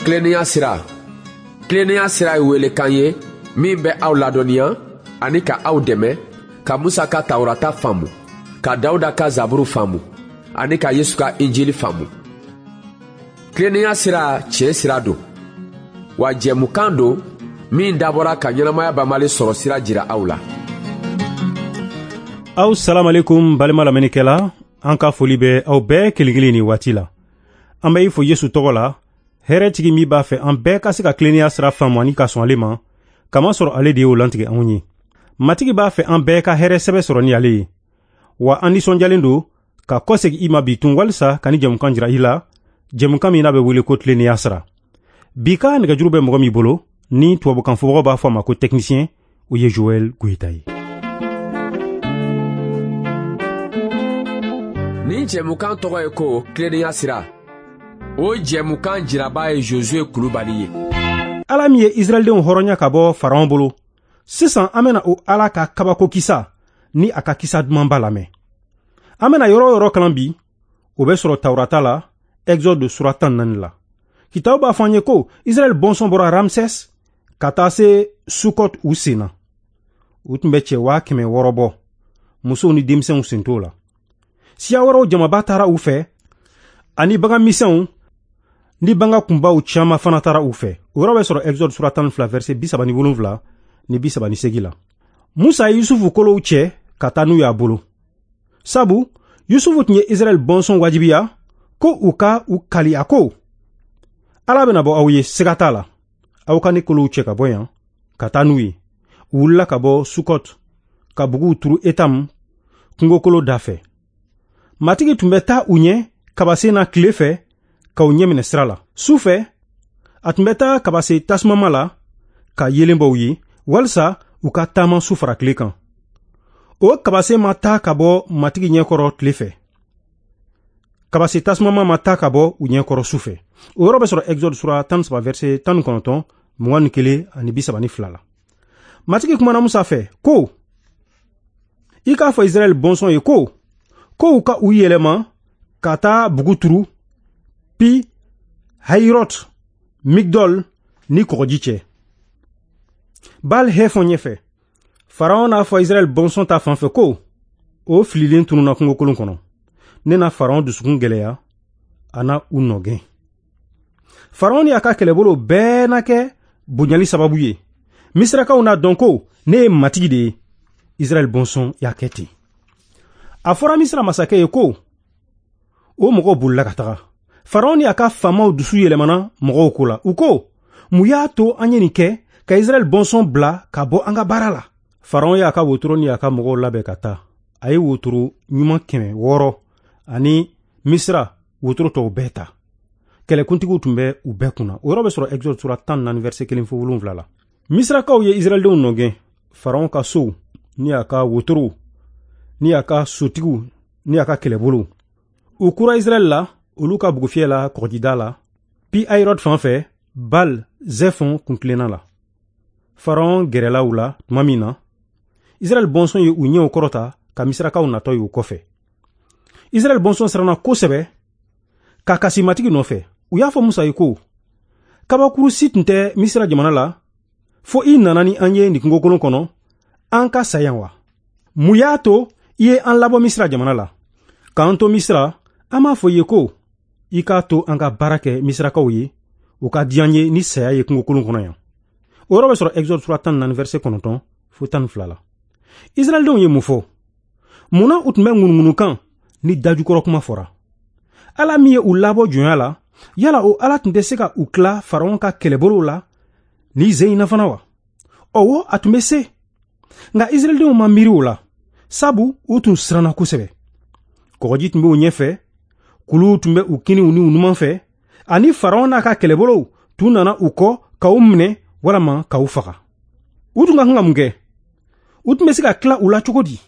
Tilennenya sira. Tilennenya sira ye welekan ye min bɛ aw ladɔnniya ani ka aw dɛmɛ ka Musa ka Tawurata faamu, ka Dawuda ka Zaburu faamu ani ka Yesu ka Injili faamu. Tilennenya sira tiɲɛ sira don, wa jɛmukan don min dabɔra ka ɲɛnamaya banbali sɔrɔ sira jira aw la. Aw salamalekum balima lamɛnnikɛla, an ka foli bɛ aw bɛɛ kelen kelen nin waati la. An bɛ i fo Yesu tɔgɔ la, hɛrɛtigi min b'a fɛ an bɛɛ ka se ka tilennenya sira faamu ani ka sɔn ale ma, kamasɔrɔ ale de y'o lantigɛ anw ye. Matigi b'a fɛ an bɛɛ ka hɛrɛ sɛbɛ sɔrɔ ni ale ye. Wa an nisɔndiyalen don ka kɔsegin i ma bi tun walisa ka ni jɛmukan jira i la, jɛmukan min n'a bɛ wele ko tilennenya sira. Bi ka nɛgɛjuru bɛ mɔgɔ min bolo, ni tubabukan fɔbagaw b'a fɔ a ma ko technicien, o ye Joël Goyita ye. Nin jɛmukan tɔgɔ ye ko tilennenya sira. O jɛmukan jiraba ye Josue Kulubali ye. Ala min ye Israɛldenw hɔrɔnya ka bɔ Faraon bolo, sisan an bɛna o Ala ka kabako kisa ni a ka kisa dumanba lamɛn. An bɛna yɔrɔ o yɔrɔ kalan bi, o bɛ sɔrɔ Tawurata la, Exode sura 14 la. Kitabu b'a fɔ an ye ko Israɛl bɔnsɔn bɔra Ramses ka taa se Sukɔt u sen na. U tun bɛ cɛ 600 bɔ, musow ni denmisɛnw sen t'o la. Siya wɛrɛw jamaba taara u fɛ, ani bagan misɛnw ni bagan kunbaw caman fana taara u fɛ. O yɔrɔ bɛ sɔrɔ Exode sura 12 verset 37 ni 38 la. Musa ye Yusufu kolow cɛ ka taa n'u y'a bolo. Sabu Yusufu tun ye Israɛl bɔnsɔn wajibiya ko u ka u kali a ko, Ala bɛna bɔ aw ye, siga t'a la. Aw ka ne kolow cɛ ka bɔ yan ka taa n'u ye. U wulila ka bɔ Sukɔt ka buguw turu Etam kungokolo da fɛ. Matigi tun bɛ taa u ɲɛ kabasen na tile fɛ ka u ɲɛminɛ sira la. Su fɛ, a tun bɛ taa kabase tasumama la ka yeelen bɔ u ye, walisa u ka taama su fara tile kan. O kabase ma taa ka bɔ Matigi ɲɛkɔrɔ tile fɛ. Kabase tasumama ma taa ka bɔ u ɲɛkɔrɔ su fɛ. O yɔrɔ bɛ sɔrɔ Exode sura 13 verset 19, 21 ani 32 la. Matigi kumana Musa fɛ ko, i k'a fɔ Israɛl bɔnsɔn ye ko, ko u ka u yɛlɛma ka taa bugu turu Pi Hayirɔt, Migdol ni kɔgɔji cɛ. Baal Hefɔn ɲɛfɛ. Faraon n'a fɔ Israɛl bɔnsɔn ta fan fɛ ko, o fililen tununna kungokolon kɔnɔ. Ne na Faraon dusukun gɛlɛya, a na u nɔgɛn. Faraon ni a ka kɛlɛbolo bɛɛ na kɛ bonyali sababu ye. Misirakaw n'a dɔn ko ne ye Matigi de ye. Israɛl bɔnsɔn y'a kɛ ten. A fɔra Misira masakɛ ye ko, o mɔgɔw bolila ka taga. Faraon ni a ka faamaw dusu yɛlɛmana mɔgɔw ko la. U ko, mun y'a to an ye nin kɛ ka Israɛl bɔnsɔn bila ka bɔ an ka baara la? Faraon y'a ka wotoro ni a ka mɔgɔw labɛn ka taa. A ye wotoro ɲuman 600 ani Misira wotoro tɔw bɛɛ ta. Kɛlɛkuntigiw tun bɛ u bɛɛ kunna. O yɔrɔ bɛ sɔrɔ Exode sura 14 verset 1 fo 7 la. Misirakaw ye Israɛldenw nɔgɛn. Faraon ka sow ni a ka wotorow ni a ka sotigiw ni a ka kɛlɛbolow. U kura Israɛl la, olu ka bugufiyɛ la kɔgɔjida la, Pi Hayirɔt fan fɛ, Bal Zɛfɔn kuntilenna la. Faraon gɛrɛla u la tuma min na, Israɛl bɔnsɔn ye u ɲɛw kɔrɔta ka Misirakaw natɔ ye u kɔfɛ. Israɛl bɔnsɔn siranna kosɛbɛ ka kasi Matigi nɔfɛ. U y'a fɔ Musa ye ko, kabakuru si tun tɛ Misira jamana la, fo i nana ni an ye nin kungokolon kɔnɔ, an ka sa yan wa? Mun y'a to i ye an labɔ Misira jamana la? K'an to Misira, an b'a fɔ i ye ko, i k'a to an ka baara kɛ Misirakaw ye, o ka di an ye ni saya ye kungokolon kɔnɔ yan. O yɔrɔ bɛ sɔrɔ Exode sura 14 verset 9 fo 12 la. Israɛldenw ye mun fɔ? Mun na u tun bɛ ŋunuŋunukan ni dajukɔrɔ kuma fɔra? Ala min ye u labɔ jɔnya la, yala o Ala tun tɛ se ka u tila Faraon ka kɛlɛbolow la ni ze in na fana wa? Ɔwɔ, a tun bɛ se. Nka Israɛldenw ma miiri o la, sabu u tun siranna kosɛbɛ. Kɔgɔji tun bɛ u ɲɛfɛ, kuluw tun bɛ u kiniw ni u numan fɛ, ani Faraon n'a ka kɛlɛbolow tun nana u kɔ ka u minɛ walama ka u faga. U tun ka kan ka mun kɛ? U tun bɛ se ka tila u la cogo di?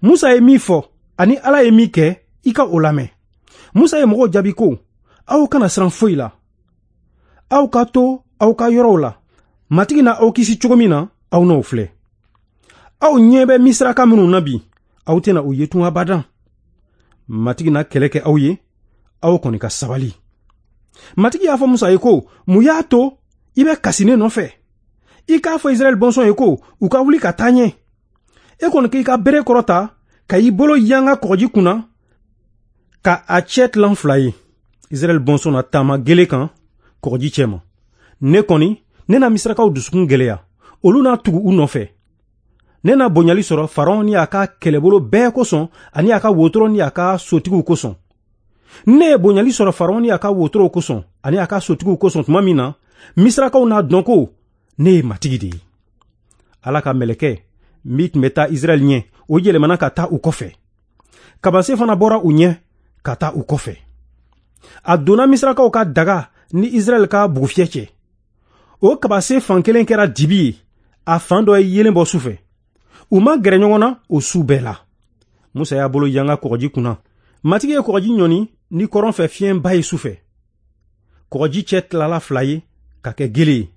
Musa ye min fɔ ani Ala ye min kɛ, i ka o lamɛn. Musa ye mɔgɔw jaabi ko, aw kana siran foyi la. Aw ka to aw ka yɔrɔw la. Matigi na aw kisi cogo min na, aw n'o filɛ. Aw ɲɛ bɛ Misiraka minnu na bi, aw tɛna u ye tun abadan. Matigi na kɛlɛ kɛ aw ye, aw kɔni ka sabali. Matigi y'a fɔ Musa ye ko, mun y'a to i bɛ kasi ne nɔfɛ? I k'a fɔ Israɛl bɔnsɔn ye ko u ka wuli ka taa ɲɛ. E kɔni k'i ka bere kɔrɔta ka i bolo yanga kɔgɔji kunna ka a cɛ tilan 2 ye. Israɛl bɔnsɔn na taama gele kan kɔgɔji cɛ ma. Ne kɔni, ne na Misirakaw dusukun gɛlɛya, olu n'a tugu u nɔfɛ. Ne na bonyali sɔrɔ Faraon ni a ka kɛlɛbolo bɛɛ kosɔn ani a ka wotoro ni a ka sotigiw kosɔn. Ne ye bonyali sɔrɔ Faraon ni a ka wotorow kosɔn ani a ka sotigiw kosɔn tuma min na, Misirakaw n'a dɔn ko ne ye Matigi de ye. Ala ka mɛlɛkɛ min tun bɛ taa Israɛl ɲɛ, o yɛlɛmana ka taa u kɔfɛ. Kabase fana bɔra u ɲɛ ka taa u kɔfɛ. A donna Misirakaw ka daga ni Israɛl ka bugufiyɛ cɛ. O kabase fan kelen kɛra dibi ye, a fan dɔ ye yeelen bɔ su fɛ. U ma gɛrɛ ɲɔgɔn na o su bɛɛ la. Musa y'a bolo yanga kɔgɔji kunna. Matigi ye kɔgɔji ɲɔni ni kɔrɔn fɛ fiɲɛba ye su fɛ. Kɔgɔji cɛ tilala 2 ye ka kɛ gele ye.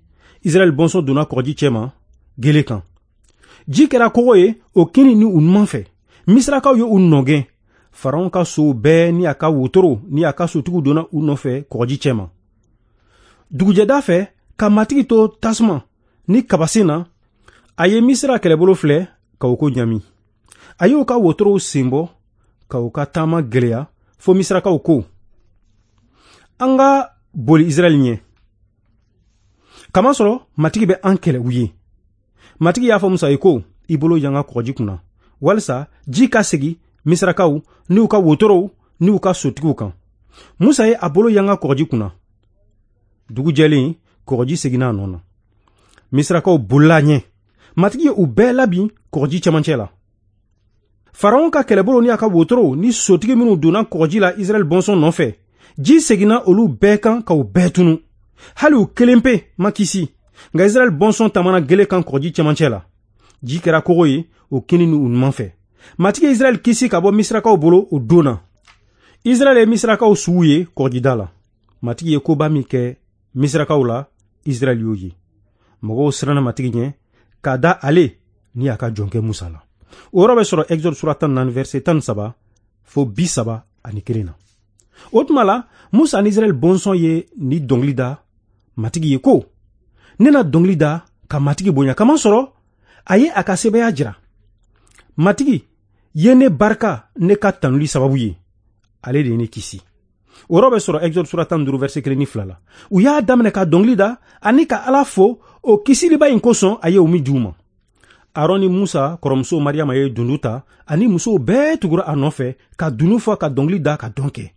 Israɛl bɔnsɔn donna kɔgɔji cɛ ma gele kan. Ji kɛra kogo ye o kini ni u numan fɛ. Misirakaw ye u nɔgɛn. Faraon ka sow bɛɛ ni a ka wotoro ni a ka sotigiw donna u nɔfɛ kɔgɔji cɛ ma. Dugujɛda fɛ, ka Matigi to tasuma ni kabasen na, a ye Misira kɛlɛbolo filɛ ka o ko ɲami. A y'o ka wotorow sen bɔ ka u ka taama gɛlɛya fo Misirakaw ko, an ka boli Israɛl ɲɛ. Kamasɔrɔ Matigi bɛ an kɛlɛ u ye. Matigi y'a fɔ Musa ye ko, i bolo yanga kɔgɔji kunna, walisa ji ka segin Misirakaw n'u ka wotorow n'u ka sotigiw kan. Musa ye a bolo yanga kɔgɔji kunna. Dugu jɛlen, kɔgɔji seginna a nɔ na. Misirakaw bolila ɲɛ. Matigi ye u bɛɛ labin kɔgɔji cɛmancɛ la. Faraon ka kɛlɛbolo ni a ka wotorow ni sotigi minnu donna kɔgɔji la Israɛl bɔnsɔn nɔfɛ, ji seginna olu bɛɛ kan ka u bɛɛ tunu. Hali u kelen pe ma kisi. Nka Israɛl bɔnsɔn taamana gele kan kɔgɔji cɛmancɛ la. Ji kɛra kogo ye o kini ni u numan fɛ. Matigi ye Israɛl kisi ka bɔ Misirakaw bolo o don na. Israɛl ye Misirakaw suw ye kɔgɔjida la. Matigi ye koba min kɛ Misirakaw la, Israɛl y'o ye. Mɔgɔw siranna Matigi ɲɛ k'a da ale ni a ka jɔnkɛ Musa la. O yɔrɔ bɛ sɔrɔ Exode sura 14 verset 13 fo 31 na. O tuma la, Musa ni Israɛl bɔnsɔn ye ni dɔnkili da Matigi ye ko, ne na dɔnkili da ka Matigi bonya, kamasɔrɔ a ye a ka sebaaya jira. Matigi ye ne barika ne ka tanuli sababu ye, ale de ye ne kisi. O yɔrɔ bɛ sɔrɔ Exode sura 15 verset 1 ni 2 la. U y'a daminɛ ka dɔnkili da ani ka Ala fo o kisiliba in kosɔn a ye o min di u ma. Aron ni Musa kɔrɔmuso Mariyama ye dundu ta ani musow bɛɛ tugura a nɔfɛ ka dundu fɔ ka dɔnkili da ka dɔn kɛ.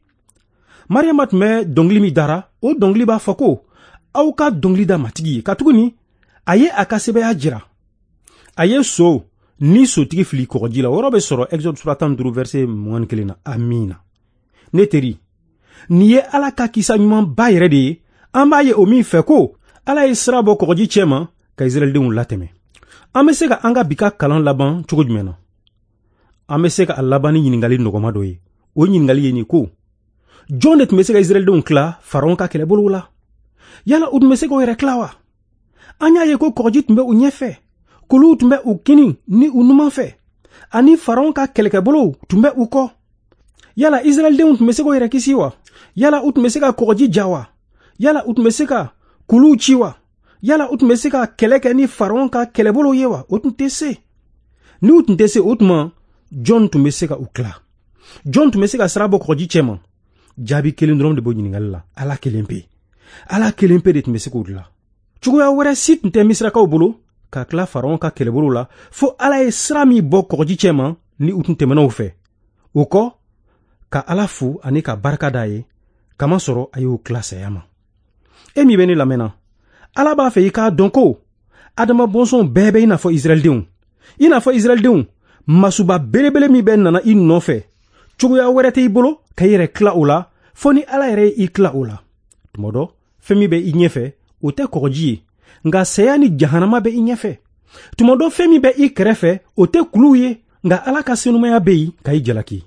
Mariyama tun bɛ dɔnkili min dara, o dɔnkili b'a fɔ ko, aw ka dɔnkili da Matigi ye, katuguni a ye a ka sebaaya jira. A ye so ni sotigi fili kɔgɔji la. O yɔrɔ bɛ sɔrɔ Exode sura 15 verset 21 na. Amiina. Ne teri, nin ye Ala ka kisa ɲumanba yɛrɛ de ye. An b'a ye o min fɛ ko Ala ye sira bɔ kɔgɔji cɛ ma ka Israɛldenw latɛmɛ. An bɛ se ka an ka bi ka kalan laban cogo jumɛn na? An bɛ se ka a laban ni ɲininkali nɔgɔma dɔ ye. O ɲininkali ye nin ko, jɔn de tun bɛ se ka Israɛldenw tila Faraon ka kɛlɛbolow la? Yala u tun bɛ se k'o yɛrɛ tila wa? An y'a ye ko kɔgɔji tun bɛ u ɲɛfɛ, kuluw tun bɛ u kini ni u numan fɛ, ani Faraon ka kɛlɛkɛbolow tun bɛ u kɔ. Yala Israɛldenw tun bɛ se k'o yɛrɛ kisi wa? Yala u tun bɛ se ka kɔgɔji ja wa? Yala u tun bɛ se ka kuluw ci wa? Yala u tun bɛ se ka kɛlɛ kɛ ni Faraon ka kɛlɛbolow ye wa? O tun tɛ se. N'u tun tɛ se, o tuma jɔn tun bɛ se ka u tila? Jɔn tun bɛ se ka sira bɔ kɔgɔji cɛ ma? Jaabi kelen dɔrɔn de b'o ɲininkali la, Ala kelen pe. Ala kelen pe de tun bɛ se k'o dilan. Cogoya wɛrɛ si tun tɛ Misirakaw bolo ka tila Faraon ka kɛlɛbolo la, fo Ala ye sira min bɔ kɔgɔji cɛ ma ni u tun tɛmɛna o fɛ. O kɔ, ka Ala fo ani ka barika d'a ye, kamasɔrɔ a y'o tila saya ma. E min bɛ ne lamɛnna, Ala b'a fɛ i k'a dɔn ko Adama bɔnsɔn bɛɛ bɛ i n'a fɔ Israɛldenw. I n'a fɔ Israɛldenw, masuba belebele min bɛ nana i nɔfɛ, cogoya wɛrɛ tɛ i bolo ka i yɛrɛ tila o la, fo ni Ala yɛrɛ ye i tila o la. Tuma dɔ, fɛn min bɛ i ɲɛfɛ, o tɛ kɔgɔji ye, nka saya ni jahanama bɛ i ɲɛfɛ. Tuma dɔ, fɛn min bɛ i kɛrɛfɛ, o tɛ kuluw ye, nka Ala ka senumaya bɛ yen ka i jalaki.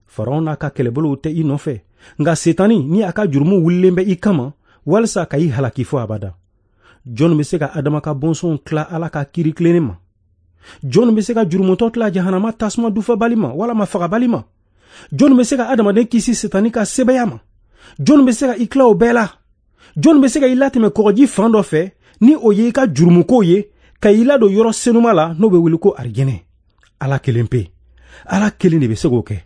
Faraon n'a ka kɛlɛbolow tɛ i nɔfɛ, nka Setani ni a ka jurumu wulilen bɛ i kama walisa ka i halaki fo abada. Jɔn bɛ se ka Adama ka bɔnsɔnw tila Ala ka kiiri tilennen ma? Jɔn bɛ se ka jurumutɔ tila jahanama tasuma dufabali ma walama fagabali ma? Jɔn bɛ se ka adamaden kisi Setani ka sebaaya ma? Jɔn bɛ se ka i tila o bɛɛ la? Jɔn bɛ se ka i latɛmɛ kɔgɔji fan dɔ fɛ ni o ye i ka jurumukow ye, ka i ladon yɔrɔ senuma la n'o bɛ wele ko arijɛnɛ? Ala kelen pe, Ala kelen de bɛ se k'o kɛ.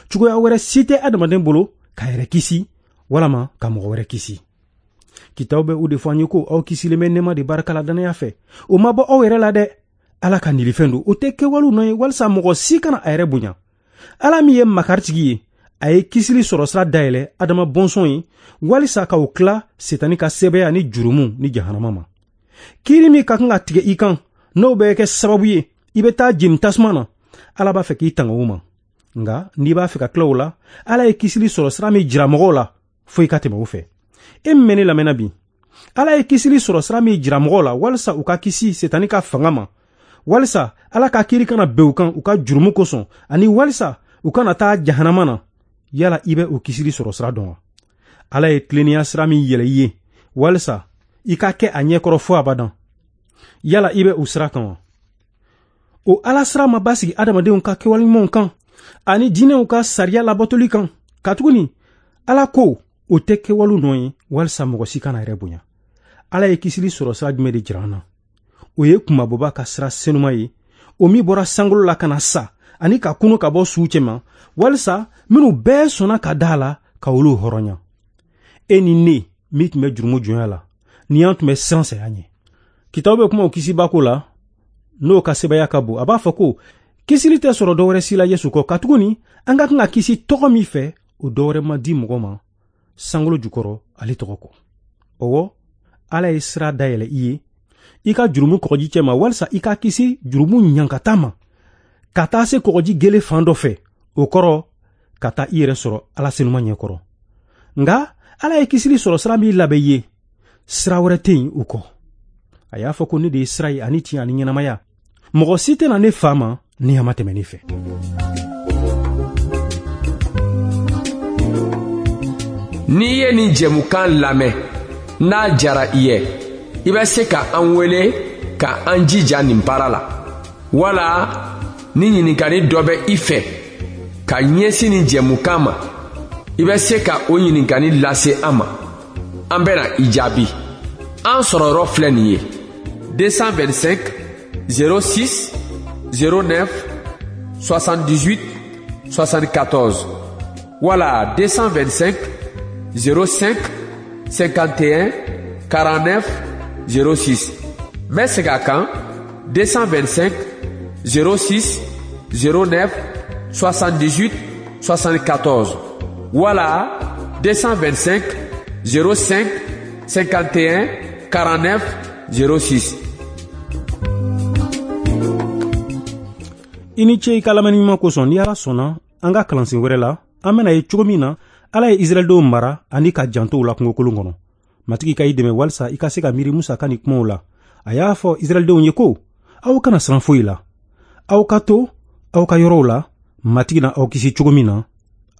Cogoya wɛrɛ si tɛ adamaden bolo k'a yɛrɛ kisi walama ka mɔgɔ wɛrɛ kisi. Kitabu bɛ o de fɔ an ye ko aw kisilen bɛ nɛɛma de barika la dannaya fɛ. O ma bɔ aw yɛrɛ la dɛ, Ala ka nilifɛn don. O tɛ kɛwalew nɔ ye walisa mɔgɔ si kana a yɛrɛ bonya. Ala min ye makaritigi ye, a ye kisili sɔrɔ sira dayɛlɛ Adama bɔnsɔn ye walisa ka o tila Setani ka sɛbɛya ni jurumu ni jahanama ma. Kiiri min ka kan ka tigɛ i kan, n'o bɛ kɛ sababu ye i bɛ taa jeni tasuma na, Ala b'a fɛ k'i tanga o ma. Nka n'i b'a fɛ ka tila o la, Ala ye kisili sɔrɔ sira min jira mɔgɔw la, fo i ka tɛmɛ o fɛ. E min bɛ ne lamɛnna bi, Ala ye kisili sɔrɔ sira min jira mɔgɔw la walisa u ka kisi Setani ka fanga ma, walisa Ala ka kiiri kana bɛn u kan u ka jurumu kosɔn, ani walisa u kana taa jahanama na, yala i bɛ o kisili sɔrɔ sira dɔn wa? Ala ye tilennenya sira min yɛlɛ i ye walisa i ka kɛ a ɲɛkɔrɔ fo abadan, yala i bɛ o sira kan wa? O Ala sira ma basigi adamadenw ka kɛwale ɲumanw kan ani diinɛw ka sariya labatoli kan, katuguni Ala ko o tɛ kɛwalew nɔ ye walisa mɔgɔ si kana yɛrɛ bonya. Ala ye kisili sɔrɔ sira jumɛn de jira an na? O ye kunmabɔba ka sira senuma ye, o min bɔra sankolo la ka na sa ani ka kunu ka bɔ suw cɛma, walisa minnu bɛɛ sɔnna ka da a la ka olu hɔrɔnya. E ni ne min tun bɛ jurumu jɔnya la, ni an tun bɛ siran saya ɲɛ. Kitabu bɛ kuma o kisibako la, n'o ka sɛbɛya ka bon. A b'a fɔ ko kisili tɛ sɔrɔ dɔwɛrɛ si la Yesu kɔ, katuguni an ka kan ka kisi tɔgɔ min fɛ, o dɔwɛrɛ ma di mɔgɔ ma sankolo jukɔrɔ ale tɔgɔ kɔ. Ɔwɔ, Ala ye sira dayɛlɛ i ye i ka jurumu kɔgɔji cɛ ma, walisa i ka kisi jurumu ɲankata ma, ka taa se kɔgɔji gele fan dɔ fɛ, o kɔrɔ ka taa i yɛrɛ sɔrɔ Ala senuma ɲɛkɔrɔ. Nka Ala ye kisili sɔrɔ sira min labɛn i ye, sira wɛrɛ tɛ yen o kɔ. A y'a fɔ ko ne de ye sira ye ani tiɲɛ ani ɲɛnamaya. Mɔgɔ si tɛna ne fa ma ni a ma tɛmɛ ne fɛ. N'i ye nin jɛmukan lamɛn, n'a jara i ye, i bɛ se ka an wele ka an jija nin baara la, wala ni ɲininkali dɔ bɛ i fɛ ka ɲɛsin nin jɛmukan ma, i bɛ se ka o ɲininkali lase an ma. An bɛna i jaabi. An sɔrɔ yɔrɔ filɛ nin ye: 225 06 09 78 74 wala 225 05 51 49 06. N bɛ segin a kan: 225 06 09 78 74 wala 225 05 51 49 06. I ni ce i ka lamɛnni ɲuman kosɔn. Ni Ala sɔnna, an ka kalansen wɛrɛ la, an bɛna ye cogo min na Ala ye Israɛldenw mara ani ka janto u la kungokolon kɔnɔ. Matigi ka i dɛmɛ walisa i ka se ka miiri Musa ka nin kumaw la. A y'a fɔ Israɛldenw ye ko aw kana siran foyi la, aw ka to aw ka yɔrɔw la, Matigi na aw kisi cogo min na,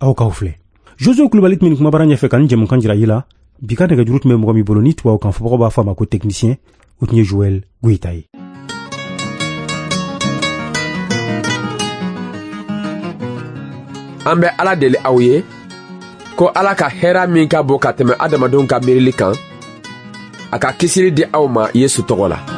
aw k'aw filɛ. Josue Kulubali tun bɛ nin kumabara ɲɛfɛ ka nin jɛmukan jira i la. Bi ka nɛgɛjuru tun bɛ mɔgɔ min bolo ni tubabu kan fɔbagaw b'a fɔ a ma ko technicien, o tun ye Joël Goyita ye. An bɛ Ala deli aw ye ko Ala ka hɛra min ka bon ka tɛmɛ adamadenw ka miirili kan, a ka kisili di aw ma Yesu tɔgɔ la.